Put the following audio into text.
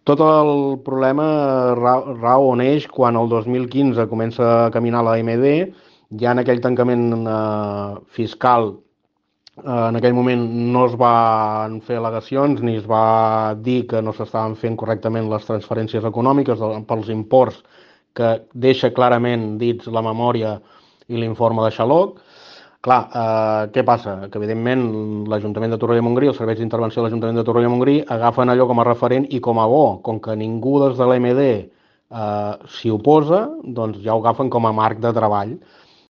Tot el problema rau o neix quan el 2015 comença a caminar la AMD, ja en aquell tancament fiscal, en aquell moment no es van fer al·legacions ni es va dir que no s'estaven fent correctament les transferències econòmiques pels imports que deixa clarament dits la memòria i l'informe de Xaloc. Clar, què passa? Que evidentment l'Ajuntament de Torroella de Montgrí, els serveis d'intervenció de l'Ajuntament de Torroella de Montgrí agafen allò com a referent i com a bo, com que ningú des de l'EMD s'hi oposa, doncs ja ho agafen com a marc de treball.